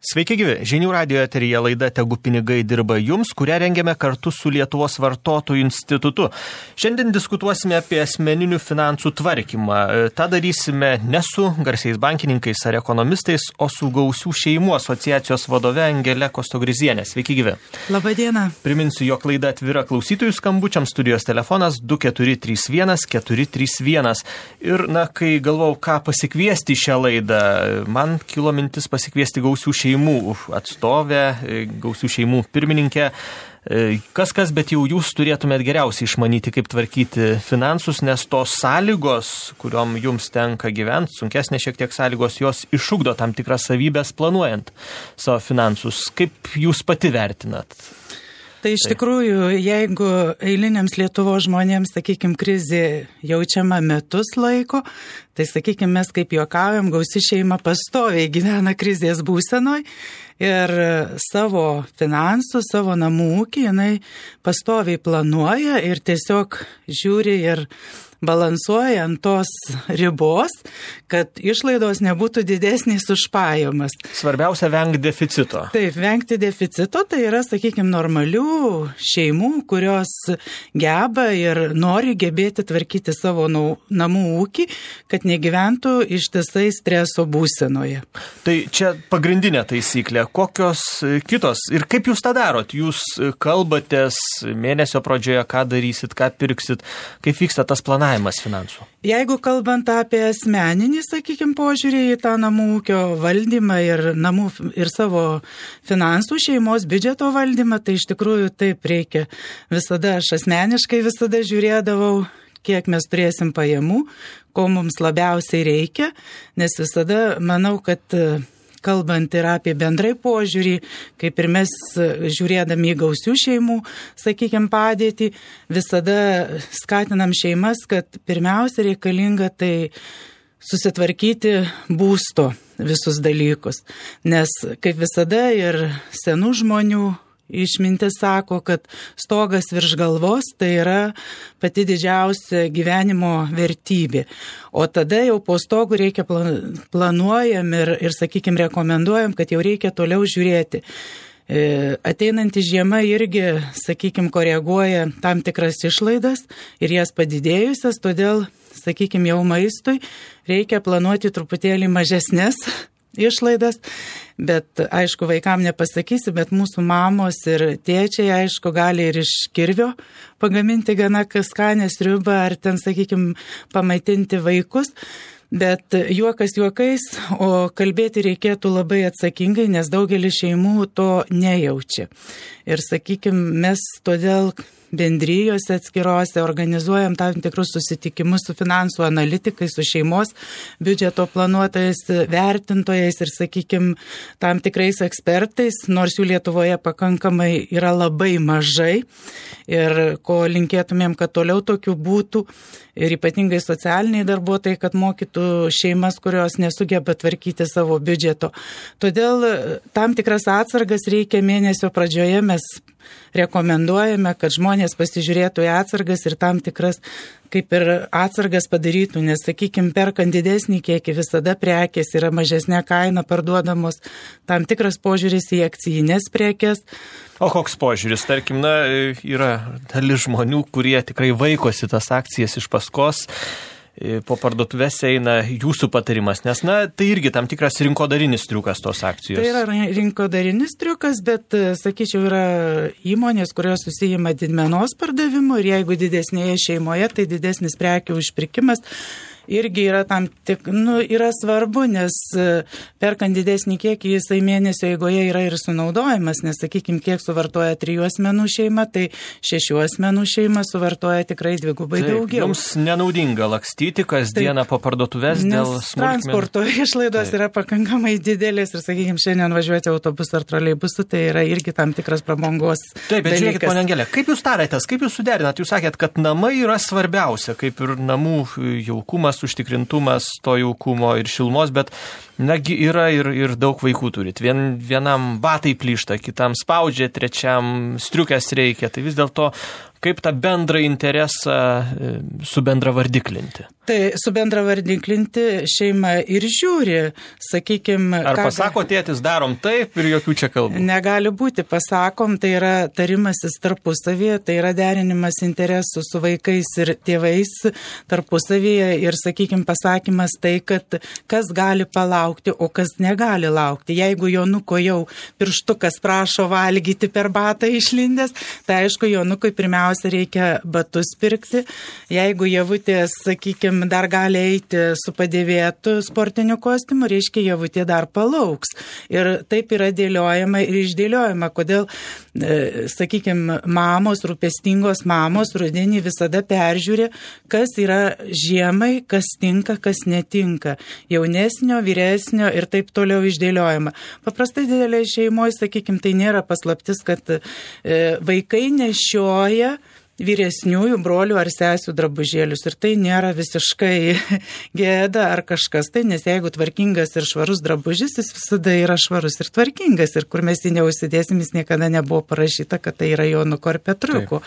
Sveiki gyvi, Žinių radijo eteryje laida Tegu pinigai dirba jums, kurią rengiame kartu su Lietuvos vartotojų institutu. Šiandien diskutuosime apie asmeninių finansų tvarkymą. Ta darysime ne su garsiais bankininkais ar ekonomistais, o su Gausių šeimų asociacijos vadove Angele Kostogrizienė. Sveiki gyvi. Labadiena. Priminsiu, jog laida atvira klausytojų skambučiams, studijos telefonas 2431 431. Ir, kai galvojau, ką pasikviesti į šią laidą, man kilo mintis pasikviesti Gausių šeimų atstovę, Gausių šeimų pirmininkę. Kas, bet jau jūs turėtumėt geriausiai išmanyti, kaip tvarkyti finansus, nes tos sąlygos, kuriom jums tenka gyventi, sunkesnė šiek tiek sąlygos, jos išugdo tam tikras savybės planuojant savo finansus. Kaip jūs pati vertinat? Tai iš tikrųjų, jeigu eiliniams Lietuvos žmonėms, krizė jaučiama metus laiko, tai, mes kaip juokaujam, Gausi šeima pastoviai gyvena krizės būsenoj ir savo finansų, savo namų ūkį jinai pastoviai planuoja ir tiesiog žiūri ir balansuoja ant tos ribos, kad išlaidos nebūtų didesnės už pajamas. Svarbiausia vengti deficito. Taip, vengti deficito, tai yra, normalių šeimų, kurios geba ir nori gebėti tvarkyti savo namų ūkį, kad negyventų ištisai streso būsenoje. Tai čia pagrindinė taisyklė. Kokios kitos? Ir kaip jūs tą darot? Jūs kalbatės mėnesio pradžioje, ką darysit, ką pirksit, kaip vyksta tas planavimas finansų? Jeigu kalbant apie asmeninį, požiūrį į tą namų ūkio valdymą ir savo finansų šeimos biudžeto valdymą, tai iš tikrųjų taip reikia. Visada aš asmeniškai žiūrėdavau, kiek mes turėsim pajamų, ko mums labiausiai reikia, nes visada manau, kad kalbant ir apie bendrai požiūrį, kaip ir mes žiūrėdami į Gausių šeimų, padėtį, visada skatinam šeimas, kad pirmiausia reikalinga tai susitvarkyti būsto visus dalykus. Nes kaip visada ir senų žmonių išmintis sako, kad stogas virš galvos tai yra pati didžiausia gyvenimo vertybė. O tada jau po stogu reikia planuojam ir rekomenduojam, kad jau reikia toliau žiūrėti. Ateinanti žiema irgi, koreguoja tam tikras išlaidas ir jas padidėjusias, todėl, jau maistui reikia planuoti truputėlį mažesnės išlaidas, bet aišku, vaikam nepasakysi, bet mūsų mamos ir tėčiai, aišku, gali ir iš kirvio pagaminti gana skanę sriubą ar ten, pamaitinti vaikus, bet juokas juokais, o kalbėti reikėtų labai atsakingai, nes daugelis šeimų to nejaučia. Ir, mes todėl bendrijose atskirose organizuojam tam tikrus susitikimus su finansų analitikai, su šeimos biudžeto planuotojais, vertintojais ir, tam tikrais ekspertais, nors jų Lietuvoje pakankamai yra labai mažai ir ko linkėtumėm, kad toliau tokių būtų ir ypatingai socialiniai darbuotojai, kad mokytų šeimas, kurios nesugeba tvarkyti savo biudžeto. Todėl tam tikras atsargas reikia mėnesio pradžioje, mes rekomenduojame, kad žmonės pasižiūrėtų į atsargas ir tam tikras kaip ir atsargas padarytų, nes, perkant didesnį kiekį visada prekės yra mažesnė kaina parduodamos, tam tikras požiūris į akcijinės prekės. O koks požiūris? Tarkim, yra dalis žmonių, kurie tikrai vaikosi tas akcijas iš paskos, po parduotuvės eina jūsų patarimas, nes, tai irgi tam tikras rinkodarinis triukas tos akcijos. Tai yra rinkodarinis triukas, bet, yra įmonės, kurios susijima didmenos pardavimu ir jeigu didesnėje šeimoje, tai didesnis prekių užpirkimas irgi yra yra svarbu, nes perkant didesnį kiekį, jisai mėnesio eigoje yra ir sunaudojimas, nes, kiek suvartoja 3 asmenų šeima, tai 6 asmenų šeima suvartoja tikrai dvigubai daugiau. Jums nenaudinga lakstyti kasdieną po parduotuvės dėl smulkmenų. Transporto išlaidos yra pakankamai didelės ir, šiandien važiuoti autobusu ar troleibusu, tai yra irgi tam tikras prabangos dalykas. Taip, bet žiūrėkit, ponia Angelė, kaip jūs tarėtės, kaip jūs suderinat? Jūs sakėt, kad namai yra svarbiausia, kaip ir namų jaukumas, užtikrintumas to jaukumo ir šilumos, bet yra ir daug vaikų turit. Vienam batai plyšta, kitam spaudžia, trečiam striukės reikia. Tai vis dėlto kaip tą bendrą interesą subendravardiklinti? Tai subendravardiklinti šeima ir žiūri, sakykime... Ar pasako tėtis, darom taip ir jokių čia kalbų? Negali būti, pasakom, tai yra tarimasis tarpusavyje, tai yra derinimas interesų su vaikais ir tėvais tarpusavyje ir, sakykime, pasakymas tai, kad kas gali palaukti, o kas negali laukti. Jeigu Jonuko jau pirštukas prašo valgyti per batą išlindęs, tai aišku, Jonukui pirmiausia reikia batus pirkti. Jeigu javutės, sakykime, dar gali eiti su padėvėtu sportiniu kostiumu, reiškia, javutė dar palauks. Ir taip yra dėliojama ir išdėliojama. Kodėl, sakykime, mamos, rūpestingos mamos rudenį visada peržiūri, kas yra žiemai, kas tinka, kas netinka. Jaunesnio, vyresnio ir taip toliau išdėliojama. Paprastai didelė šeimoje, sakykime, tai nėra paslaptis, kad vaikai nešioja vyresniųjų brolių ar sesių drabužėlius. Ir tai nėra visiškai gėda ar kažkas tai, nes jeigu tvarkingas ir švarus drabužis, jis visada yra švarus ir tvarkingas. Ir kur mes jį neužsidėsim, jis niekada nebuvo parašyta, kad tai yra Jonuko ar Petriuko.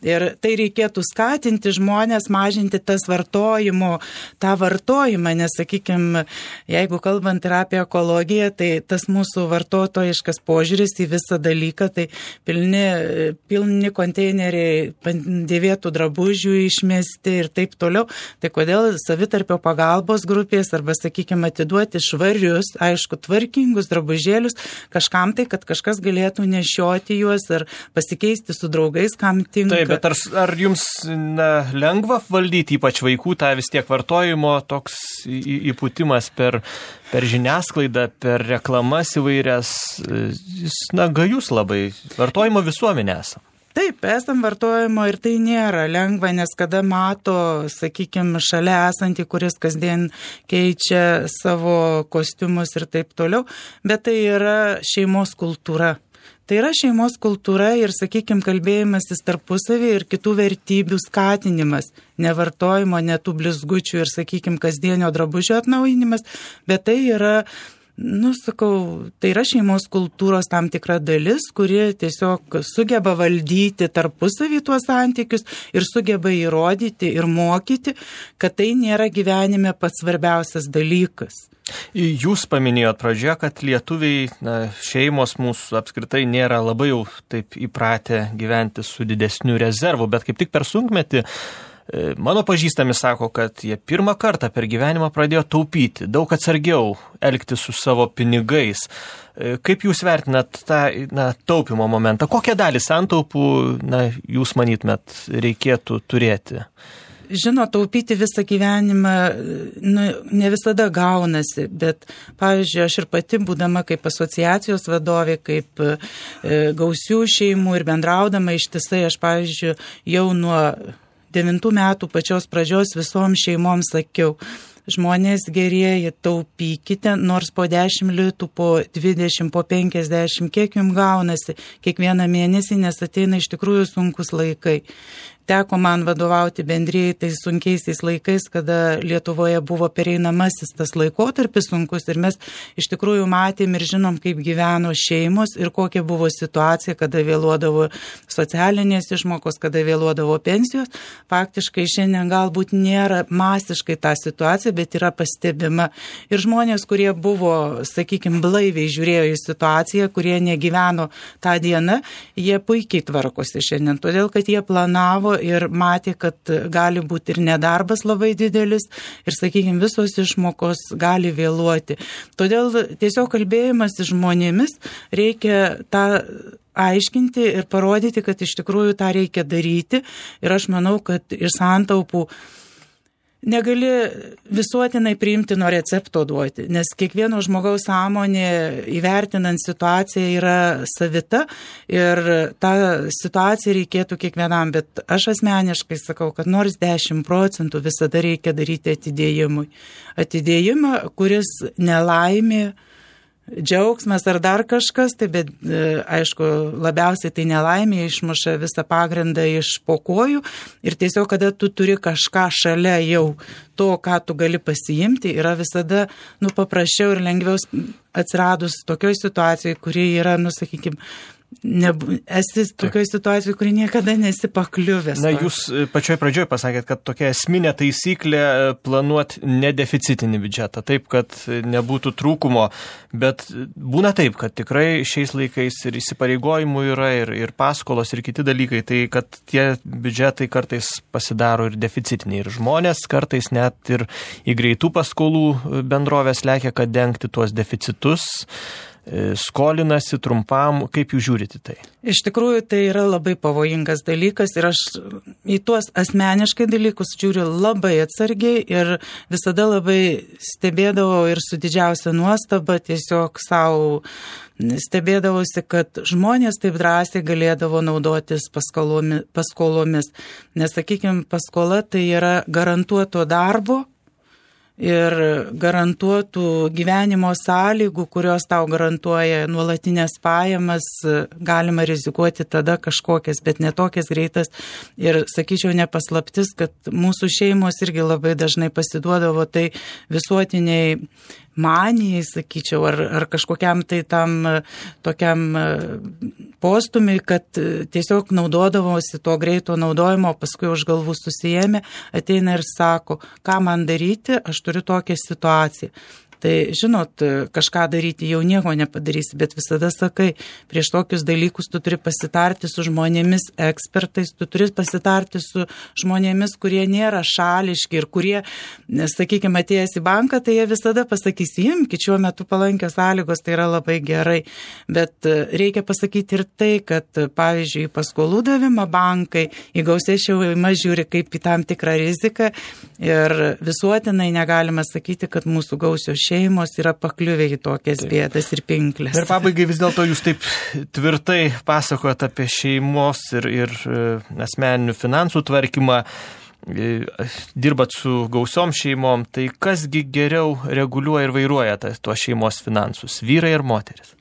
Ir tai reikėtų skatinti žmonės, mažinti tas vartojimo, tą vartojimą, nes, sakykime, jeigu kalbant ir apie ekologiją, tai tas mūsų vartotojiškas požiūris į visą dalyką, tai pilni konteineriai dėvėtų drabužių išmesti ir taip toliau. Tai kodėl savitarpio pagalbos grupės arba, sakykime, atiduoti švarius, aišku, tvarkingus drabužėlius kažkam tai, kad kažkas galėtų nešioti juos ar pasikeisti su draugais, kam tinka. Taip, bet ar jums lengva valdyti, ypač vaikų, tą vis tiek vartojimo toks įpūtimas per žiniasklaidą, per reklamas įvairias, jis gajus labai, vartojimo visuomenė esam. Taip, esam vartojimo ir tai nėra lengva, nes kada mato, sakykime, šalia esantį, kuris kasdien keičia savo kostiumus ir taip toliau, bet tai yra šeimos kultūra. Tai yra šeimos kultūra ir, sakykime, kalbėjimasis tarpusavį ir kitų vertybių skatinimas, nevartojimo, netų blizgučių ir, sakykime, kasdienio drabužio atnaujinimas, bet tai yra, tai yra šeimos kultūros tam tikra dalis, kuri tiesiog sugeba valdyti tarpusavį tuos santykius ir sugeba įrodyti ir mokyti, kad tai nėra gyvenime pats svarbiausias dalykas. Jūs paminėjot pradžioje, kad lietuviai, šeimos mūsų apskritai nėra labai jau taip įpratę gyventi su didesniu rezervu, bet kaip tik per sunkmetį mano pažįstami sako, kad jie pirmą kartą per gyvenimą pradėjo taupyti, daug atsargiau elgtis su savo pinigais. Kaip jūs vertinat tą taupimo momentą? Kokią dalį santaupų jūs manytumėt reikėtų turėti? Žinot, taupyti visą gyvenimą ne visada gaunasi, bet, pavyzdžiui, aš ir pati, būdama kaip asociacijos vadovė, kaip gausių šeimų ir bendraudama ištisai, aš, pavyzdžiui, jau nuo 9 metų pačios pradžios visom šeimom sakiau, žmonės gerieji, taupykite, nors po 10 litų, po 20, po 50, kiek jums gaunasi kiekvieną mėnesį, nes ateina iš tikrųjų sunkus laikai. Teko man vadovauti bendrijai tais sunkiaisiais laikais, kada Lietuvoje buvo pereinamasis tas laikotarpis sunkus ir mes iš tikrųjų matėm ir žinom, kaip gyveno šeimos ir kokia buvo situacija, kada vėluodavo socialinės išmokos, kada vėluodavo pensijos. Faktiškai šiandien galbūt nėra masiškai ta situacija, bet yra pastebima. Ir žmonės, kurie buvo, sakykime, blaiviai žiūrėjo į situaciją, kurie negyveno tą dieną, jie puikiai tvarkosi šiandien, todėl kad jie planavo ir matė, kad gali būti ir nedarbas labai didelis ir, sakykime, visos išmokos gali vėluoti. Todėl tiesiog kalbėjimas su žmonėmis reikia tą aiškinti ir parodyti, kad iš tikrųjų tą reikia daryti ir aš manau, kad iš santaupų negali visuotinai priimtino recepto duoti, nes kiekvieno žmogaus sąmonė įvertinant situaciją yra savita ir tą situaciją reikėtų kiekvienam, bet aš asmeniškai sakau, kad nors 10% visada reikia daryti atidėjimui. Atidėjimą, kuris nelaimė, džiaugsmas ar dar kažkas, tai bet aišku, labiausiai tai nelaimė išmuša visą pagrindą iš po kojų ir tiesiog, kada tu turi kažką šalia jau to, ką tu gali pasiimti, yra visada paprasčiau ir lengviau atsiradus tokioj situacijai, kuri yra, sakykime, esi tokioje situacijoje, kuri niekada nesi pakliuvęs. Na, jūs pačioj pradžioj pasakėt, kad tokia esminė taisyklė planuoti nedeficitinį biudžetą, taip, kad nebūtų trūkumo, bet būna taip, kad tikrai šiais laikais ir įsipareigojimų yra, ir paskolos, ir kiti dalykai, tai kad tie biudžetai kartais pasidaro ir deficitiniai, ir žmonės kartais net ir į greitų paskolų bendrovės lekia, kad dengti tuos deficitus, skolinasi trumpam. Kaip jūs žiūrite tai? Iš tikrųjų, tai yra labai pavojingas dalykas ir aš į tuos asmeniškai dalykus žiūriu labai atsargiai ir visada labai stebėdavau ir su didžiausia nuostaba tiesiog savo stebėdavosi, kad žmonės taip drąsiai galėdavo naudotis paskolomis. Nes, sakykime, paskola tai yra garantuoto darbo ir garantuotų gyvenimo sąlygų, kurios tau garantuoja nuolatinės pajamas, galima rizikuoti tada kažkokias, bet netokias greitas. Ir sakyčiau, nepaslaptis, kad mūsų šeimos irgi labai dažnai pasiduodavo tai visuotiniai manijai, sakyčiau, ar kažkokiam tai tam tokiam postumiui, kad tiesiog naudodavosi to greito naudojimo, paskui už galvų susijėmė, ateina ir sako, ką man daryti, aš turiu tokią situaciją. Tai, žinot, kažką daryti jau nieko nepadarysi, bet visada sakai, prieš tokius dalykus tu turi pasitarti su žmonėmis ekspertais, tu turi pasitarti su žmonėmis, kurie nėra šališki ir kurie, sakykime, atėjęs į banką, tai jie visada pasakys, imkit, šiuo metu palankios sąlygos, tai yra labai gerai. Bet reikia pasakyti ir tai, kad, pavyzdžiui, paskolų davimą bankai į gausią šeimą žiūri kaip į tam tikrą riziką ir visuotinai negalima sakyti, kad mūsų gausios šeimos yra pakliuvę į tokias bėdas ir pinklės. Ir pabaigai vis dėlto jūs taip tvirtai pasakojat apie šeimos ir asmeninių finansų tvarkymą, dirbat su gausiom šeimom, tai kasgi geriau reguliuoja ir vairuoja tuos šeimos finansus, vyrai ir moteris?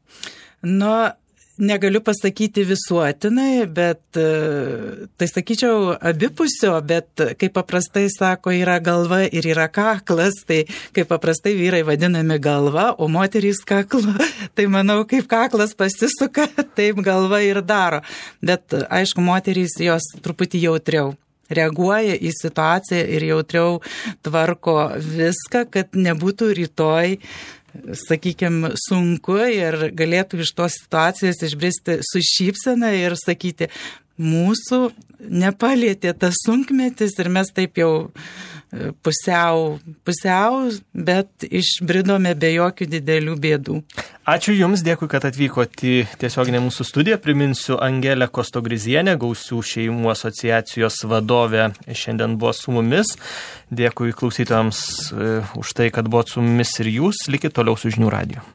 Negaliu pasakyti visuotinai, bet tai sakyčiau abipusio, bet kaip paprastai sako, yra galva ir yra kaklas, tai kaip paprastai vyrai vadinami galva, o moterys kaklo, tai manau, kaip kaklas pasisuka, taip galva ir daro. Bet aišku, moterys jos truputį jautriau reaguoja į situaciją ir jautriau tvarko viską, kad nebūtų rytoj, sakykime, sunku ir galėtų iš tos situacijos išbristi su šypsena ir sakyti, mūsų nepalietė tas sunkmetis ir mes taip jau pusiau, bet išbridome be jokių didelių bėdų. Ačiū Jums, dėkui, kad atvykote į tiesioginę mūsų studiją. Priminsiu, Angelė Kostogrizienė, Gausių šeimų asociacijos vadovė, šiandien buvo su mumis. Dėkui klausytojams už tai, kad buvot su mumis ir jūs. Likit toliau su Žinių radiju.